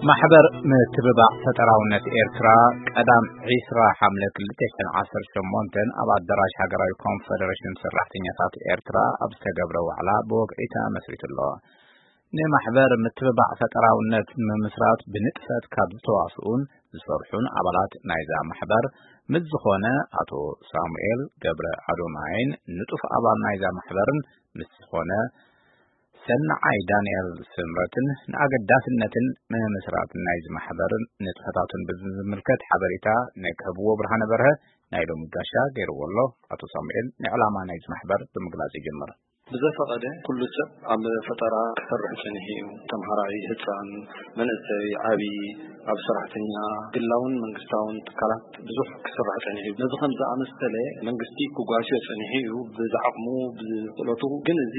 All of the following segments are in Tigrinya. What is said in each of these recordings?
ማሕበር ምትብባዕ ፈጠራውነት ኤርትራ ቀዳም ዒስራ ሓምለ ክልተ ሽሕን ዓሰርተ ሸሞንተን ኣብ ኣዳራሽ ሃገራዊ ኮንፈደሬሽን ሰራሕተኛታት ኤርትራ ኣብ ዝተገብረ ዋዕላ ብወግዒ ተመስሪቱ ኣሎ። ንማሕበር ምትብባዕ ፈጠራውነት ንምምስራት ብንጥፈት ካብ ዝተዋስኡን ዝሰርሑን ኣባላት ናይዛ ማሕበር ምስ ዝኾነ ኣቶ ሳሙኤል ገብረ ኣዶናይን ንጡፍ ኣባል ናይዛ ማሕበርን ምስ ዝኾነ ሰናዓይ ዳንኤል ስምረትን ንኣገዳስነትን ምምስራትን ናይዚ ማሕበርን ንጥፈታቱን ብዝምልከት ሓበሬታ ናይ ክህብዎ ብርሃነ በርሀ ናይ ሎሚ ጋሻ ገይርዎ ኣሎ። ኣቶ ሳሙኤል ንዕላማ ናይዚ ማሕበር ብምግላጽ ይጅምር። ብዘፈቐደ ኩሉ ሰብ ኣብ ፈጠራ ክሰርሕ ጸኒሑ እዩ። ተምሃራይ፣ ህጻን፣ መንእሰይ፣ ዓቢ፣ ኣብ ሰራሕተኛ፣ ግላውን መንግስታውን ትካላት ብዙሕ ክስራሕ ጸኒሑ እዩ። ነዚ ከም ዝኣመሰለ መንግስቲ ክጓስዮ ጸኒሑ እዩ፣ ብዝዓቕሙ፣ ብክእለቱ። ግን እዚ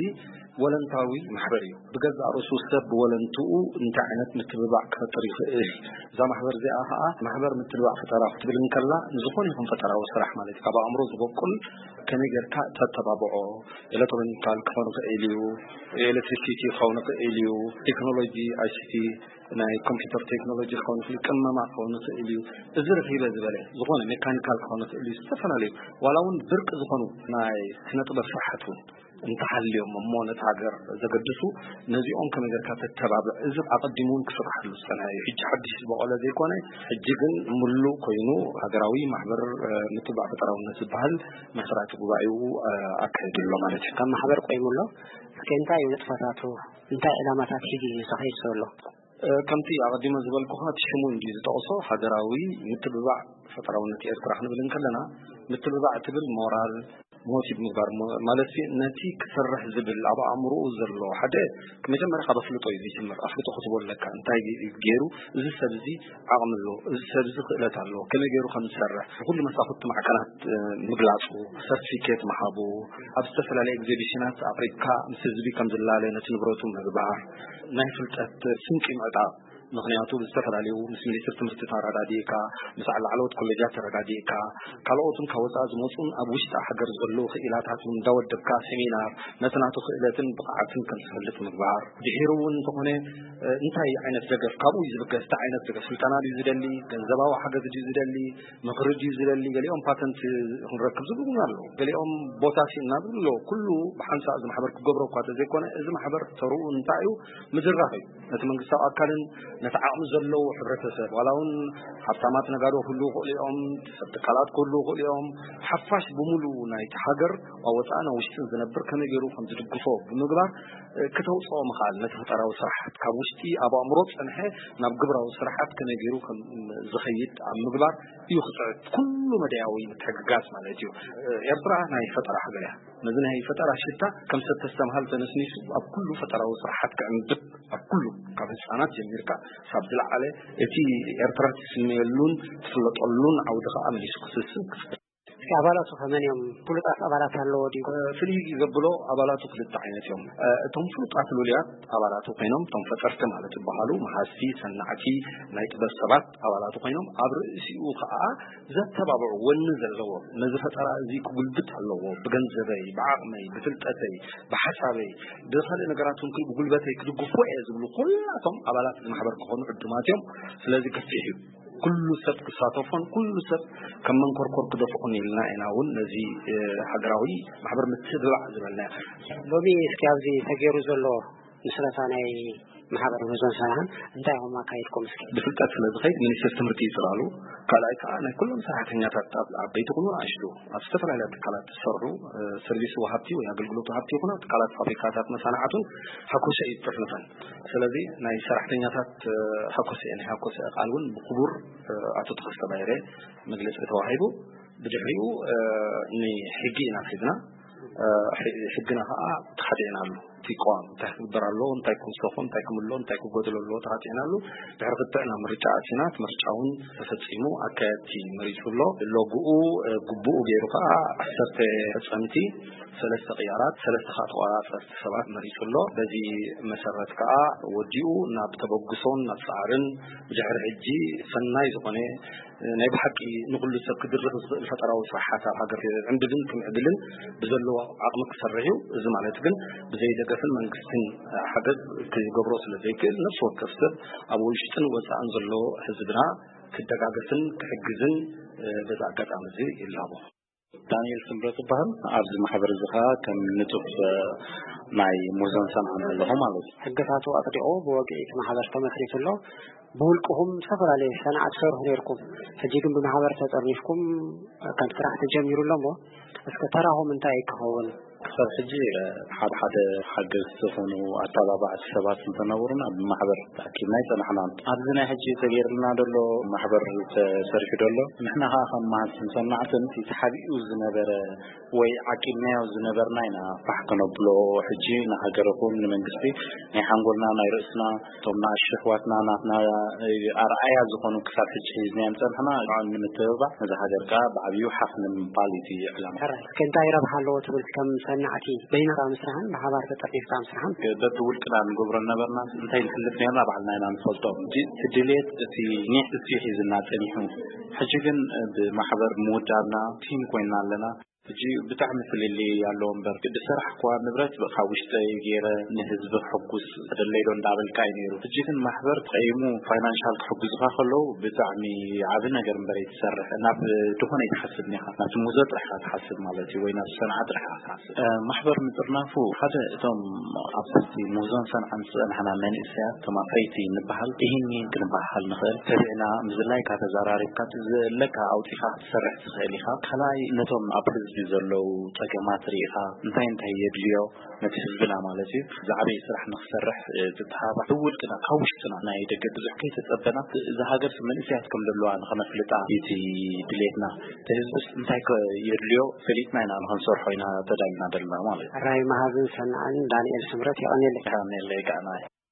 ወለንታዊ ማሕበር እዩ። ብገዛእ ርእሱ ሰብ ብወለንትኡ እንታይ ዓይነት ምትብባዕ ክፈጥር ይኽእል? እዛ ማሕበር እዚኣ ኸኣ ማሕበር ምትብባዕ ፈጠራ ክትብል እንከላ፣ ንዝኾነ ይኹን ፈጠራዊ ስራሕ ማለት እዩ። ካብ ኣእምሮ ዝበቁል ከመይ ጌርካ ተተባብዖ፣ ኤሌክትሮኒካል ክኸውን ይኽእል እዩ፣ ኤሌክትሪሲቲ ክኸውን ይኽእል እዩ፣ ቴክኖሎጂ፣ ኣይሲቲ፣ ናይ ኮምፒውተር ቴክኖሎጂ ክኸውን ይኽእል እዩ፣ ቅመማ ክኸውን ይኽእል እዩ፣ እዚ ርኺበ ዝበለ ዝኾነ ሜካኒካል ክኸውን ይኽእል እዩ፣ ዝተፈላለዩ ዋላ እውን ብርቂ ዝኾኑ ናይ ስነ ጥበብ ስራሓት እውን እንተሃልዮም እሞ ነቲ ሃገር ዘገድሱ፣ ነዚኦም ከመይ ጌርካ ተተባብዕ፣ እዚ ኣቐዲሙ እውን ክስርሓሉ ዝጸንሐ እዩ። ሕጂ ሓድሽ ዝበቖለ ዘይኮነ፣ ሕጂ ግን ምሉእ ኮይኑ ሃገራዊ ማሕበር፣ እ፣ ምትብባዕ ፈጠራውነት ዝበሃል መስራቲ ጉባኤኡ፣ እ፣ ኣካይዱ ኣሎ ማለት እዩ። ከም ማሕበር ቆይሙ ኣሎ። እስከ እንታይ እዩ ንጥፈታቱ? እንታይ ዕላማታት ሒዙ እዩ ተኸይዱ ዘሎ? እ፣ ከምቲ ኣቐዲመ ዝበልኩኻ፣ እቲ ሽሙ እንድዩ ዝጠቕሶ፣ ሃገራዊ ምትብባዕ ፈጠራውነት ኤርትራ ክንብል እንከለና፣ ምትብባዕ ትብል ሞራል፣ ሞቲቭ ምግባር ሞ-፣ ማለት ሲ፣ ነቲ ክሰርሕ ዝብል ኣብ ኣእምሮኡ ዘሎ ሓደ መጀመርያ ካብ ኣፍልጦ እዩ ዝጅምር። ኣፍልጦ ክትቦ ኣለካ፣ እንታይ ገይሩ እዚ ሰብ እዚ ዓቕሚ ኣሎ፣ እዚ ሰብ እዚ ክእለት ኣሎ፣ ከመይ ገይሩ ከም ዝሰርሕ፣ ንኹሉ መሳኹቲ ማዕከናት፣ እ፣ ምግላጹ፣ ሰርቲፊኬት ምሃቡ፣ ኣብ ዝተፈላለየ ኤግዚቢሽናት ኣቕሪብካ ምስ ህዝቢ ከም ዝላለ ነቲ ንብረቱ ምግባር፣ ናይ ፍልጠት ስንቂ ምዕጣቕ። ምኽንያቱ ብዝተፈላለዩ ምስ ሚኒስትሪ ትምህርቲ ተረዳዲእካ፣ ምስ ላዕለዎት ኮሌጃት ተረዳዲእካ፣ ካልኦትን ካብ ወጻኢ ዝመጹን ኣብ ውሽጢ ሃገር ዘለዉ ክኢላታት እውን እንዳወደብካ ሴሚናር ነቲ ናቱ ክእለትን ብቕዓትን ከም ዝፈልጥ ምግባር። ድሒሩ እውን እንተኾነ፣ እ፣ እንታይ ዓይነት ደገፍ ካብኡ እዩ ዝብገስ፣ እንታይ ዓይነት ደገፍ፣ ስልጠና ድዩ ዝደሊ፣ ገንዘባዊ ሓገዝ ድዩ ዝደሊ፣ ምኽሪ ድዩ ዝደሊ፣ ገሊኦም ፓተንት ክንረክብ ዝብሉ እውን ኣለዉ። ገሊኦም ቦታ ሲእና ዝብሉ ኣለዉ። ኩሉ ብሓንሳእ እዚ ማሕበር ክገብሮ እኳ ተዘይኮነ፣ እዚ ማሕበር ተርኡ እንታይ እዩ? ምድራኽ እዩ። ነቲ መንግስታዊ ኣካልን ነቲ ዓቕሚ ዘለዎ ሕብረተሰብ፣ ዋላ እውን ሃብታማት ነጋዶ ክህልዉ ይኽእሉ እዮም፣ ሰብ ትካላት ክህልዉ ይኽእሉ እዮም። ሓፋሽ ብምሉኡ ናይቲ ሃገር ኣብ ወጻእን ኣብ ውሽጥን ዝነብር ከመይ ገይሩ ከም ዝድግፎ ብምግባር፣ እ፣ ክተውጽኦ ምኽኣል፣ ነቲ ፈጠራዊ ስራሓት ካብ ውሽጢ ኣብ ኣእምሮ ዝጸንሐ ናብ ግብራዊ ስራሓት ከመይ ገይሩ ከም ዝኸይድ ኣብ ምግባር እዩ ክጽዕት። ኩሉ መዳያዊ ምትሕግጋዝ ማለት እዩ። እ፣ ኤርትራ ናይ ፈጠራ ሃገር እያ። ነዚ ናይ ፈጠራ ሽታ ከም ሰብ ተስተምሃል ተነስኒሱ ኣብ ኩሉ ፈጠራዊ ስራሓት ክዕንብብ፣ ኣብ ኩሉ ካብ ህጻናት ጀሚርካ ሳብ ዝለዓለ እቲ ኤርትራ ትስመየሉን ትፍለጠሉን ዓውዲ ከኣ መሊሱ ክስስን ክፍጠር። እስኪ ኣባላቱ ከመን እዮም? ፍሉጣት ኣባላት ኣለዎ ድዩ? እ፣ ፍልይ ዘብሎ ኣባላቱ ክልተ ዓይነት እዮም። እ፣ እቶም ፍሉጣት ልሉያት ኣባላቱ ኮይኖም፣ እቶም ፈጠርቲ ማለት ዝበሃሉ መሃዝቲ፣ ሰናዕቲ፣ ናይ ጥበብ ሰባት ኣባላቱ ኮይኖም፣ ኣብ ርእሲኡ ከኣ ዘተባብዑ ወኒ ዘለዎ፣ ነዚ ፈጠራ እዚ ክጉልብት ኣለዎ፣ ብገንዘበይ፣ ብዓቕመይ፣ ብፍልጠተይ፣ ብሓሳበይ፣ ብኻልእ ነገራት እውን ክል-፣ ብጉልበተይ ክድግፎ እየ ዝብሉ ኩላቶም ኣባላት እዚ ማሕበር ክኾኑ ዕዱማት እዮም። ስለዚ ገፊሕ እዩ። ኩሉ ሰብ ክሳተፎን ኩሉ ሰብ ከም መንኮርኮር ክደፍኦን ኢልና ኢና እውን ነዚ፣ እ፣ ሃገራዊ ማሕበር ምትብባዕ ዝበልናዮ። ሎሚ እስኪ ኣብዚ ተገይሩ ዘሎ ምስረታ ናይ ማሕበር ምህዞን ሰናህን እንታይ ኢኹም ኣካይድኩም እስኪ? ብፍልጠት ስለ ዝኸይድ ሚኒስትሪ ትምህርቲ እዩ ጽላሉ። ካልኣይ ከኣ ናይ ኩሎም ሰራሕተኛታት ኣብ ዓበይቲ ይኹኑ ንኣሽቱ ኣብ ዝተፈላለያ ትካላት ዝሰርሑ፣ እ፣ ሰርቪስ ወሃብቲ ወይ ኣገልግሎት ወሃብቲ ይኹኑ ኣብ ትካላት ፋብሪካታት መሳናዕቱን ሃኮሰ እዩ ዝጥርንፈን። ስለዚ ናይ ሰራሕተኛታት፣ እ፣ ሃኮሰ፣ ናይ ሃኮሰ ቃል እውን ብክቡር፣ እ፣ ኣቶ ተኸስተ ባይረ መግለጺ ተዋሂቡ። ብድሕሪኡ፣ እ፣ ንሕጊ ኢና ሒዝና። እ፣ ሕ-፣ ሕግና ኸዓ ተኻቲዕናሉ። እቲ ቅዋም እንታይ ክግበር ኣለዎ፣ እንታይ ክውሰኾ፣ እንታይ ክምሎ፣ እንታይ ክጎደሎ ኣለዎ ተኻቲዕናሉ። ድሕሪ ክትዕ ናብ ምርጫ ኣቲና፣ እቲ ምርጫ እውን ተፈጺሙ፣ ኣካየድቲ መሪጹ ኣሎ። ሎግኡ፣ እ፣ ግቡኡ ገይሩ ኸዓ ዓሰርተ ፈጸምቲ፣ ሰለስተ ቅያራት፣ ሰለስተ ኸዓ ተቖጻጸርቲ ሰባት መሪጹ ኣሎ። በዚ መሰረት ከኣ ወዲኡ ናብ ተበግሶን ናብ ጻዕርን ብድሕሪ ሕጂ ሰናይ ዝኾነ፣ ናይ ብሓቂ ንኹሉ ሰብ ክድርኽ ዝኽእል ፈጠራዊ ስራሓት ኣብ ሃገር ክዕንብብን ክምዕብልን ብዘለዎ ዓቕሚ ክሰርሕ እዩ። እዚ ማለት ግን ብዘይ ደገፍ መንግስትን ሓገዝ ክገብሮ ስለ ዘይክእል፣ ነፍሲ ወከፍ ሰብ ኣብ ውሽጥን ወፃእን ዘሎ ህዝብና ክደጋገፍን ክሕግዝን፣ እ፣ በዚ ኣጋጣሚ እዚ ይላቦ። ዳንኤል ስምረት ይበሃል። ኣብዚ ማሕበር እዚ ኸዓ ከም ንጡፍ፣ እ፣ ናይ ሙዞን ሰንዓን ኣለኹ ማለት እዩ። ሕግታቱ ኣጽዲቑ ብወግዒ እቲ ማሕበር ተመስሪቱ ኣሎ። ብውልቅኹም ዝተፈላለየ ሰንዓ ትሰርሑ ነይርኩም። ሕጂ ግን ብማሕበር ተጠርኒፍኩም ከም ስራሕ ተጀሚሩ ኣሎ እሞ፣ እስከ ተራኹም እንታይ ክኸውን? ክሳብ ሕጂ፣ እ፣ ሓደ ሓደ ሓገዝቲ ዝኾኑ ኣተባባዕቲ ሰባት እንተነበሩና ብማሕበር ተኣኪብና ይጸናሕና። ኣብዚ ናይ ሕጂ ተገይርልና ዘሎ ማሕበር ተሰሪሑ ዘሎ፣ ንሕና ኸዓ ከም መሃዝትን ሰናዕትን እቲ ተሓቢኡ ዝነበረ ወይ ዓቂብናዮ ዝነበርና ኢና ፋሕ ከነብሎ። ሕጂ ንሃገር ይኹን ንመንግስቲ ናይ ሓንጎልና ናይ ርእስና እቶም ንኣሽቱ ኣሕዋትና ናትና ኣርኣያ ዝኾኑ ክሳብ ሕጂ ሒዝናዮም ጸንሕና ንምትብባዕ ነዚ ሃገር ከኣ ብዓብዩ ሓፍ ንምባል እዩ እቲ ዕላማ። ሕራይ፣ እስከ እንታይ ረብሓ ኣለዎ ትብል ከም ሰናዕቲ በይንኻ ምስራሕን ብሓባር ተጠርኒፍካ ምስራሕን? በብውልቅና ንገብሮ ነበርና እንታይ ንሕልፍ ነርና ባዕልና ኢና ንፈልጦ። ሕጂ እቲ ድሌት እቲ ኒሕ እሱ ሒዝና ጸኒሑ። ሕጂ ግን ብማሕበር ምውዳብና ቲም ኮይንና ኣለና። ሕጂ ብጣዕሚ ፍልልይ ኣለዎ እምበር፣ ቅዲ ስራሕ እኳ ንብረት ካብ ውሽጠይ ገይረ ንህዝቢ ከሕጉስ ተደለይዶ እንዳበልካ እዩ ነይሩ። ሕጂ ግን ማሕበር ተቐይሙ ፋይናንሻል ክሕጉዝኻ ከለዉ ብጣዕሚ ዓቢ ነገር እምበር ኣይትሰርሕ። ናብ ድኾነ ኣይትሓስብ ኒኻ፣ ናብቲ ሙዞ ጥራሕ ኢኻ ትሓስብ ማለት እዩ፣ ወይ ናብ ሰንዓ ጥራሕ ኢኻ ትሓስብ። እ፣ ማሕበር ምጥርናፉ ሓደ እቶም ኣብ ትሕቲ ሙዞን ሰንዓን ዝጸንሕና መንእሰያት እቶም ኣፍረይቲ ንበሃል፣ ይህን ይህን ክንበሃል ንኽእል። ተቢዕና ምዝላይካ ተዘራሪብካ ዘለካ ኣውጺኻ ክትሰርሕ ትኽእል ኢኻ። ካልኣይ ነቶም ኣብ ህዝቢ ዘለዉ ጸገማት ርኢኻ እንታይ እንታይ የድልዮ ነቲ ህዝብና ማለት እዩ ዝዓበየ ስራሕ ንኽሰርሕ፣ እ፣ ዝተሃባ ብውልቅና ካብ ውሽጥና ናይ ደገ ብዙሕ ከይተጸበና እዛ ሃገር መንእሰያት ከም ዘለዋ ንኸነፍልጣ እቲ ድሌትና። እቲ ህዝብስ እንታይ ከ የድልዮ ፈሊጥና ኢና ንኸንሰርሖ ኢና ተዳልና ዘለና ማለት እዩ። ሕራይ መሃዝን ሰናዕን ዳንኤል ስምረት የቐንየለይ። የቐንየለይ ከኣ ንዓይ።